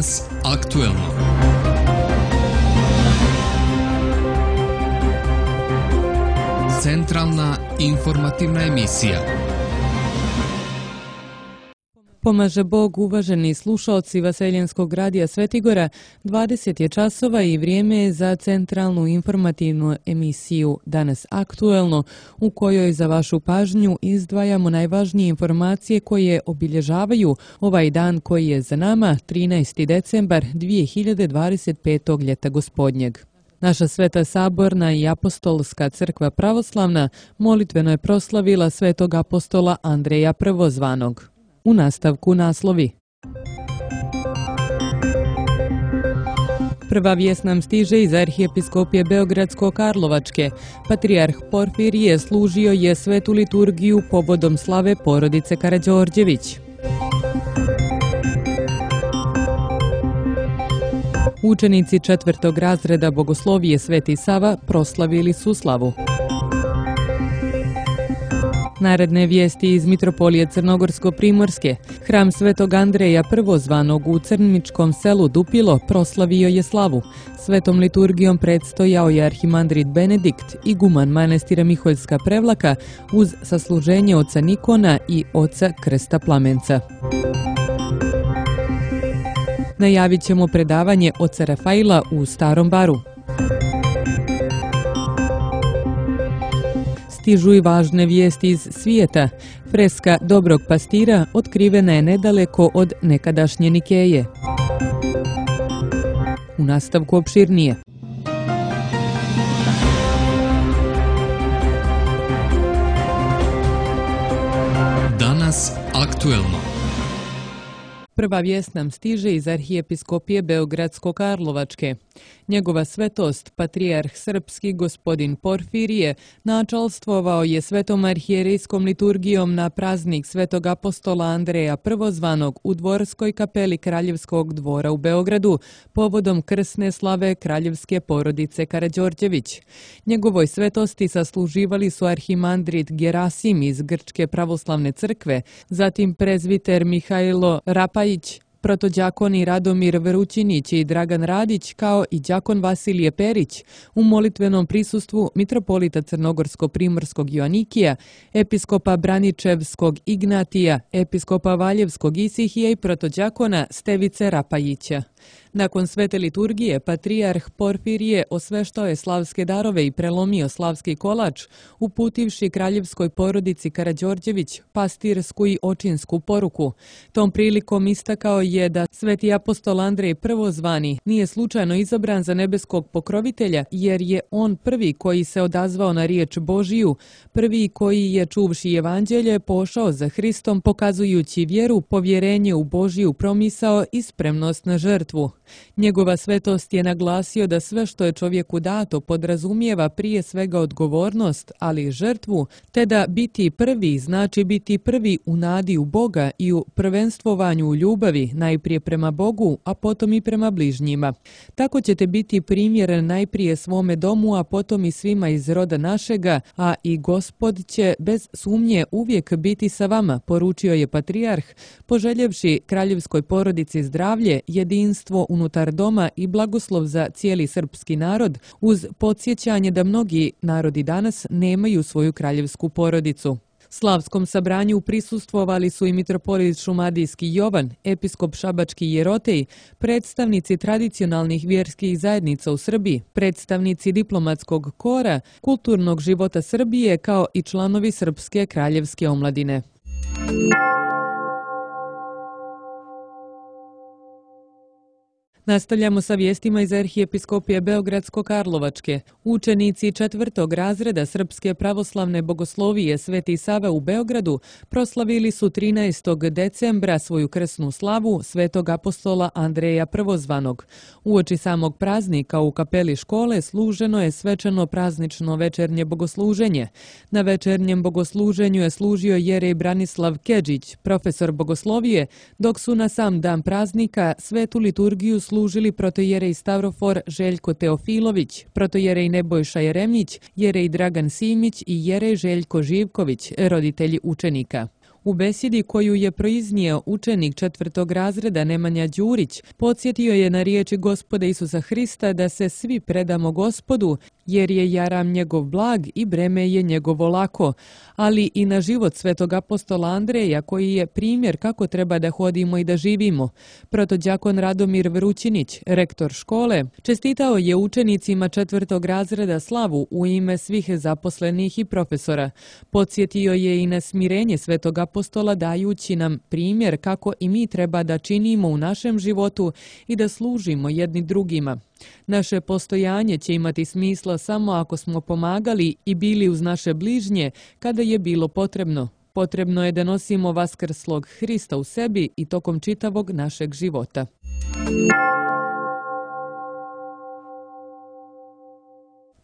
Danas aktuelno. Centralna informativna emisija. Pomaže Bog, uvaženi slušaoci Vaseljenskog radija Svetigora, 20 je časova i vrijeme je za centralnu informativnu emisiju Danas aktuelno, u kojoj za vašu pažnju izdvajamo najvažnije informacije koje obilježavaju ovaj dan koji je za nama, 13. decembar 2025. ljeta gospodnjeg. Naša Sveta Saborna i Apostolska crkva pravoslavna molitveno je proslavila svetog apostola Andreja Prvozvanog. U nastavku naslovi. Prva vijest nam stiže iz Arhijepiskopije Beogradsko-Karlovačke. Patrijarh Porfirije služio je svetu liturgiju povodom slave porodice Karađorđević. Učenici 4. razreda Bogoslovije Sveti Sava proslavili su slavu. Naredne vijesti iz Mitropolije Crnogorsko-Primorske. Hram Svetog Andreja Prvozvanog u Crničkom selu Dupilo proslavio je slavu. Svetom liturgijom predstojao je arhimandrit Benedikt, iguman manastira Miholjska Prevlaka, uz sasluženje oca Nikona i oca Krsta Plamenca. Najavit ćemo predavanje oca Rafaila u Starom Baru. Stižu i važne vijesti iz svijeta. Freska Dobrog pastira otkrivena je nedaleko od nekadašnje Nikeje. U nastavku opširnije. Danas aktuelno. Prva vijest nam stiže iz Arhijepiskopije Beogradsko-Karlovačke. Njegova svetost, patrijarh srpski gospodin Porfirije, načalstvovao je svetom arhijerejskom liturgijom na praznik svetog apostola Andreja Prvozvanog u dvorskoj kapeli Kraljevskog dvora u Beogradu, povodom krsne slave kraljevske porodice Karađorđević. Njegovoj svetosti sasluživali su arhimandrit Gerasim iz Grčke pravoslavne crkve, zatim prezbiter Mihajlo Rapajić, protođakoni Radomir Vrućinić i Dragan Radić, kao i đakon Vasilije Perić, u molitvenom prisustvu mitropolita Crnogorsko-Primorskog Joanikija, episkopa Braničevskog Ignatija, episkopa Valjevskog Isihija i protođakona Stevice Rapajića. Nakon svete liturgije, patrijarh Porfirije osveštao je slavske darove i prelomio slavski kolač, uputivši kraljevskoj porodici Karađorđević pastirsku i očinsku poruku. Tom prilikom istakao je da sveti apostol Andrej Prvozvani nije slučajno izabran za nebeskog pokrovitelja, jer je on prvi koji se odazvao na riječ Božiju, prvi koji je čuvši evanđelje pošao za Hristom, pokazujući vjeru, povjerenje u Božiju promisao i spremnost na žrtvu. Njegova svetost je naglasio da sve što je čovjeku dato podrazumijeva prije svega odgovornost, ali i žrtvu, te da biti prvi znači biti prvi u nadi u Boga i u prvenствованju u ljubavi, najprije prema Bogu, a potom i prema bližnjima. Tako ćete biti primjer najprije svome domu, a potom i svima iz roda našega, a i Gospod će bez sumnje uvijek biti sa vama, poručio je patrijarh, poželjevši kraljevskoj porodici zdravlje, jedinstvo unutar doma i blagoslov za cijeli srpski narod, uz podsjećanje da mnogi narodi danas nemaju svoju kraljevsku porodicu. Slavskom sabranju prisustvovali su i mitropolit Šumadijski Jovan, episkop Šabački Jerotej, predstavnici tradicionalnih vjerskih zajednica u Srbiji, predstavnici diplomatskog kora, kulturnog života Srbije, kao i članovi Srpske kraljevske omladine. Nastavljamo sa vijestima iz Arhijepiskopije Beogradsko-Karlovačke. Učenici 4. razreda Srpske pravoslavne bogoslovije Sveti Sava u Beogradu proslavili su 13. decembra svoju krsnu slavu svetog apostola Andreja Prvozvanog. Uoči samog praznika u kapeli škole služeno je svečano praznično večernje bogosluženje. Na večernjem bogosluženju je služio jerej Branislav Kedžić, profesor bogoslovije, dok su na sam dan praznika svetu liturgiju služili protojerej Stavrofor Željko Teofilović, protojerej Nebojša Jeremić, jerej Dragan Simić i jerej Željko Živković, roditelji učenika. U besjedi koju je proiznio učenik 4. razreda Nemanja Đurić, podsjetio je na riječi Gospoda Isusa Hrista da se svi predamo Gospodu, jer je jaram njegov blag i breme je njegovo lako, ali i na život svetog apostola Andreja koji je primjer kako treba da hodimo i da živimo. Protodjakon Radomir Vrućinić, rektor škole, čestitao je učenicima 4. razreda slavu u ime svih zaposlenih i profesora. Podsjetio je i na smirenje svetog apostola dajući nam primjer kako i mi treba da činimo u našem životu i da služimo jedni drugima. Naše postojanje će imati smisla samo ako smo pomagali i bili uz naše bližnje kada je bilo potrebno. Potrebno je da nosimo vaskrslog Hrista u sebi i tokom čitavog našeg života.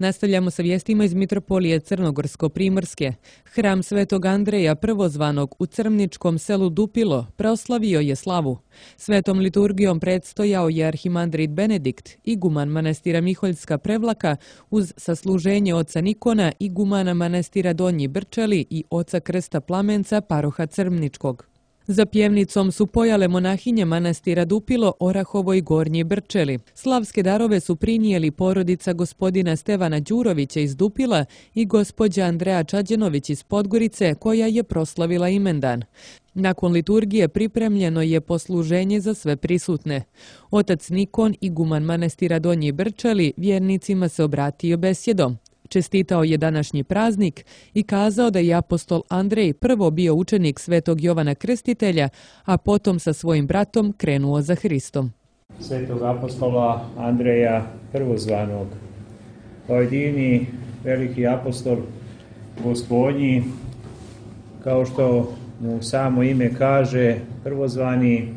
Nastavljamo sa vijestima iz Mitropolije Crnogorsko-Primorske. Hram Svetog Andreja prvozvanog u crmničkom selu Dupilo proslavio je slavu. Svetom liturgijom predstojao je arhimandrit Benedikt, iguman manastira Miholjska Prevlaka, uz sasluženje oca Nikona, igumana manastira Donji Brčeli i oca Krsta Plamenca, paroha Crmničkog. Za pjevnicom su pojale monahinje manastira Dupilo, Orahovo i Gornji Brčeli. Slavske darove su prinijeli porodica gospodina Stevana Đurovića iz Dupila i gospođa Andreja Čađenović iz Podgorice, koja je proslavila imendan. Nakon liturgije pripremljeno je posluženje za sve prisutne. Otac Nikon, iguman manastira Donji Brčeli, vjernicima se obratio besjedom. Čestitao je današnji praznik i kazao da je apostol Andrej prvo bio učenik svetog Jovana Krstitelja, a potom sa svojim bratom krenuo za Hristom. Svetog apostola Andreja prvozvanog, ovaj divni veliki apostol Gospodnji, kao što mu samo ime kaže, prvozvani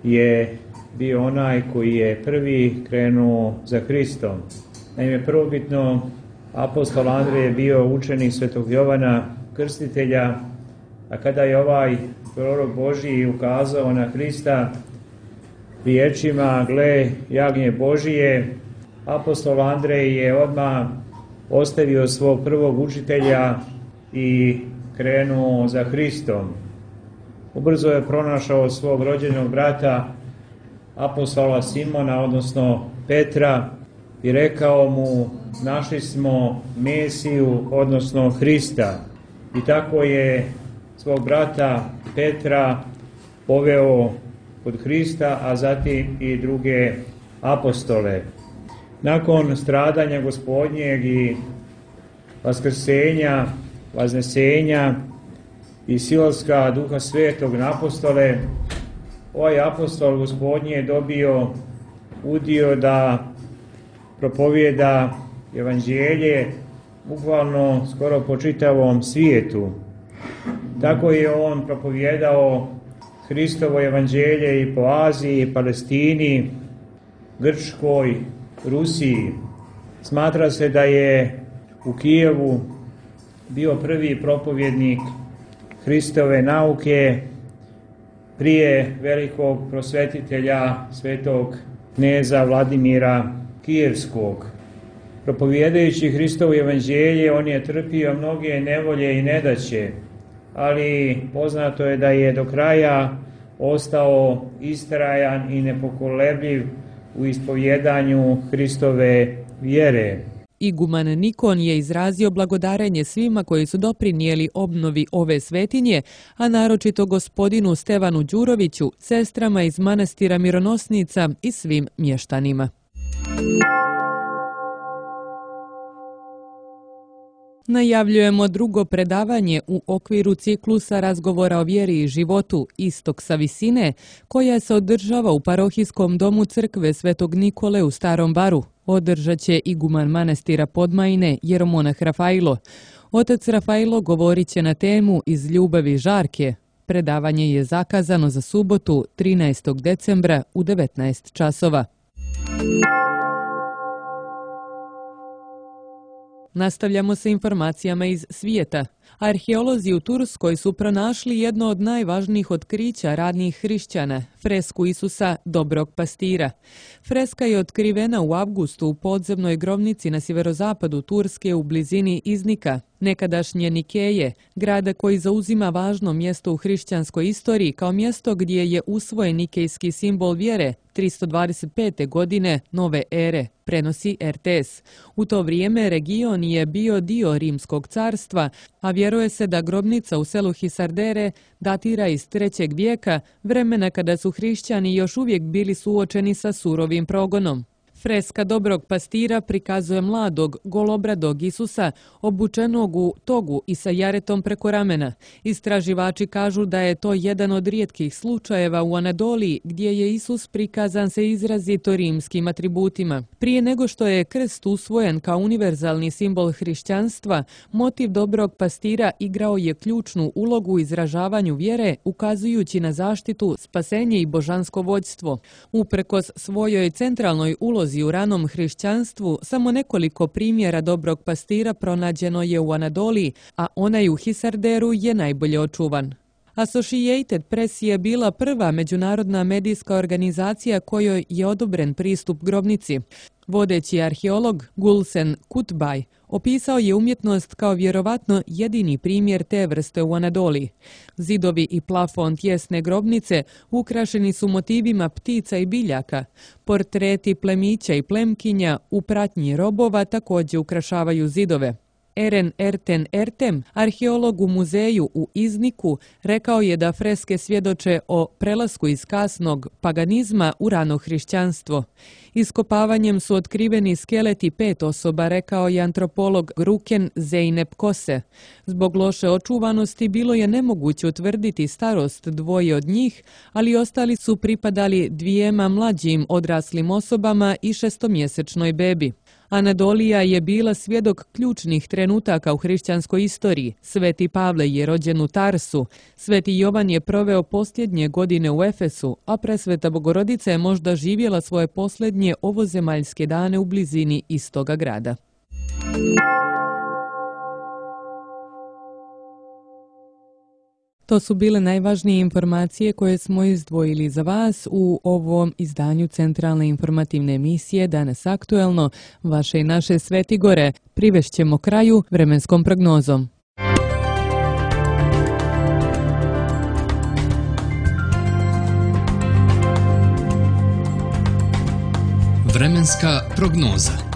je bio onaj koji je prvi krenuo za Hristom. Naime, prvobitno apostol Andrej je bio učenik svetog Jovana Krstitelja, a kada je ovaj prorok Božji ukazao na Hrista riječima gle jagnje Božije, apostol Andrej je odmah ostavio svog prvog učitelja i krenuo za Hristom. Ubrzo je pronašao svog rođenog brata apostola Simona, odnosno Petra, i rekao mu, našli smo Mesiju, odnosno Hrista. I tako je svog brata Petra poveo kod Hrista, a zatim i druge apostole. Nakon stradanja Gospodnjeg i vaskrsenja, vaznesenja i silaska Duha Svetog na apostole, ovaj apostol Gospodnji je dobio udio da propovijeda evanđelje bukvalno skoro po čitavom svijetu. Tako je on propovijedao Hristovo evanđelje i po Aziji, Palestini, Grčkoj, Rusiji. Smatra se da je u Kijevu bio prvi propovjednik Hristove nauke prije velikog prosvetitelja svetog kneza Vladimira Kijevskog. Propovijedajući Hristovo evanđelje, on je trpio mnoge nevolje i nedaće, ali poznato je da je do kraja ostao istrajan i nepokolebljiv u ispovjedanju Hristove vjere. Iguman Nikon je izrazio blagodarenje svima koji su doprinijeli obnovi ove svetinje, a naročito gospodinu Stevanu Đuroviću, sestrama iz manastira Mironosnica i svim mještanima. Najavljujemo drugo predavanje u okviru ciklusa razgovora o vjeri i životu Istok sa visine, koja se održava u parohijskom domu crkve Svetog Nikole u Starom Baru. Održat će iguman manastira Podmajine, jeromonah Rafailo. Otac Rafailo govorit će na temu Iz ljubavi žarke. Predavanje je zakazano za subotu 13. decembra u 19 časova. Nastavljamo sa informacijama iz svijeta. Arheolozi u Turskoj su pronašli jedno od najvažnijih otkrića radnih hrišćana, fresku Isusa Dobrog pastira. Freska je otkrivena u avgustu u podzemnoj grobnici na sjeverozapadu Turske u blizini Iznika. nekadašnje Nikeje, grada koji zauzima važno mjesto u hrišćanskoj istoriji kao mjesto gdje je usvojen nikejski simbol vjere 325. godine nove ere, prenosi RTS. U to vrijeme region je bio dio Rimskog carstva, a vjeruje se da grobnica u selu Hisardere datira iz 3. vijeka, vremena kada su hrišćani još uvijek bili suočeni sa surovim progonom. Freska dobrog pastira prikazuje mladog, golobradog Isusa, obučenog u togu i sa jaretom preko ramena. Istraživači kažu da je to jedan od rijetkih slučajeva u Anadoliji gdje je Isus prikazan sa izrazito rimskim atributima. Prije nego što je krst usvojen kao univerzalni simbol hrišćanstva, motiv dobrog pastira igrao je ključnu ulogu u izražavanju vjere, ukazujući na zaštitu, spasenje i božansko vođstvo. Uprkos svojoj centralnoj ulozi u ranom hrišćanstvu, samo nekoliko primjera dobrog pastira pronađeno je u Anadoliji, a onaj u Hisarderu je najbolje očuvan. Associated Press je bila prva međunarodna medijska organizacija kojoj je odobren pristup grobnici. Vodeći arheolog Gulsen Kutbay opisao je umjetnost kao vjerovatno jedini primjer te vrste u Anadoliji. Zidovi i plafon tjesne grobnice ukrašeni su motivima ptica i biljaka. Portreti plemića i plemkinja u pratnji robova također ukrašavaju zidove. Eren Erten Ertem, arheolog u muzeju u Izniku, rekao je da freske svjedoče o prelasku iz kasnog paganizma u rano hrišćanstvo. Iskopavanjem su otkriveni skeleti 5 osoba, rekao je antropolog Ruken Zeynep Kose. Zbog loše očuvanosti bilo je nemoguće utvrditi starost dvoje od njih, ali ostali su pripadali dvijema mlađim odraslim osobama i 6-mjesečnoj bebi. Anadolija je bila svjedok ključnih trenutaka u hrišćanskoj istoriji. Sveti Pavle je rođen u Tarsu, Sveti Jovan je proveo posljednje godine u Efesu, a Presveta Bogorodica je možda živjela svoje posljednje ovozemaljske dane u blizini istoga grada. To su bile najvažnije informacije koje smo izdvojili za vas u ovom izdanju centralne informativne emisije Danas aktuelno. Vaše i naše Svetigore privešćemo kraju vremenskom prognozom. Vremenska prognoza.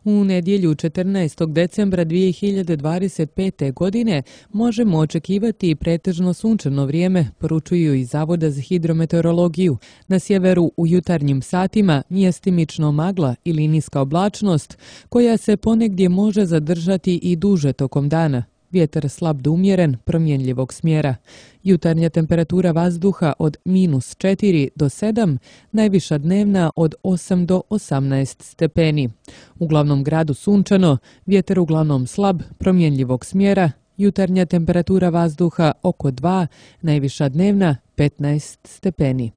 U nedjelju 14. decembra 2025. godine možemo očekivati pretežno sunčano vrijeme, poručuju iz Zavoda za hidrometeorologiju. Na sjeveru u jutarnjim satima mjestimično magla ili niska oblačnost, koja se ponegdje može zadržati i duže tokom dana. Vjetar slab do umjeren, promjenljivog smjera. Jutarnja temperatura vazduha od -4 do 7, najviša dnevna od 8 do 18 stepeni. U glavnom gradu sunčano, vjetar uglavnom slab, promjenljivog smjera, jutarnja temperatura vazduha oko 2, najviša dnevna 15 stepeni.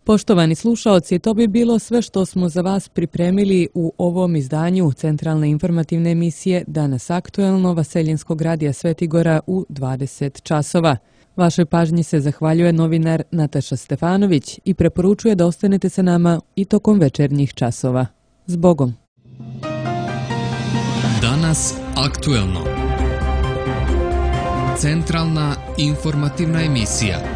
Poštovani slušaoci, to bi bilo sve što smo za vas pripremili u ovom izdanju centralne informativne emisije Danas aktuelno Vaseljenskog radija Svetigora u 20 časova. Vašoj pažnji se zahvaljuje novinar Nataša Stefanović i preporučuje da ostanete sa nama i tokom večernjih časova. Zbogom! Danas aktuelno. Centralna informativna emisija.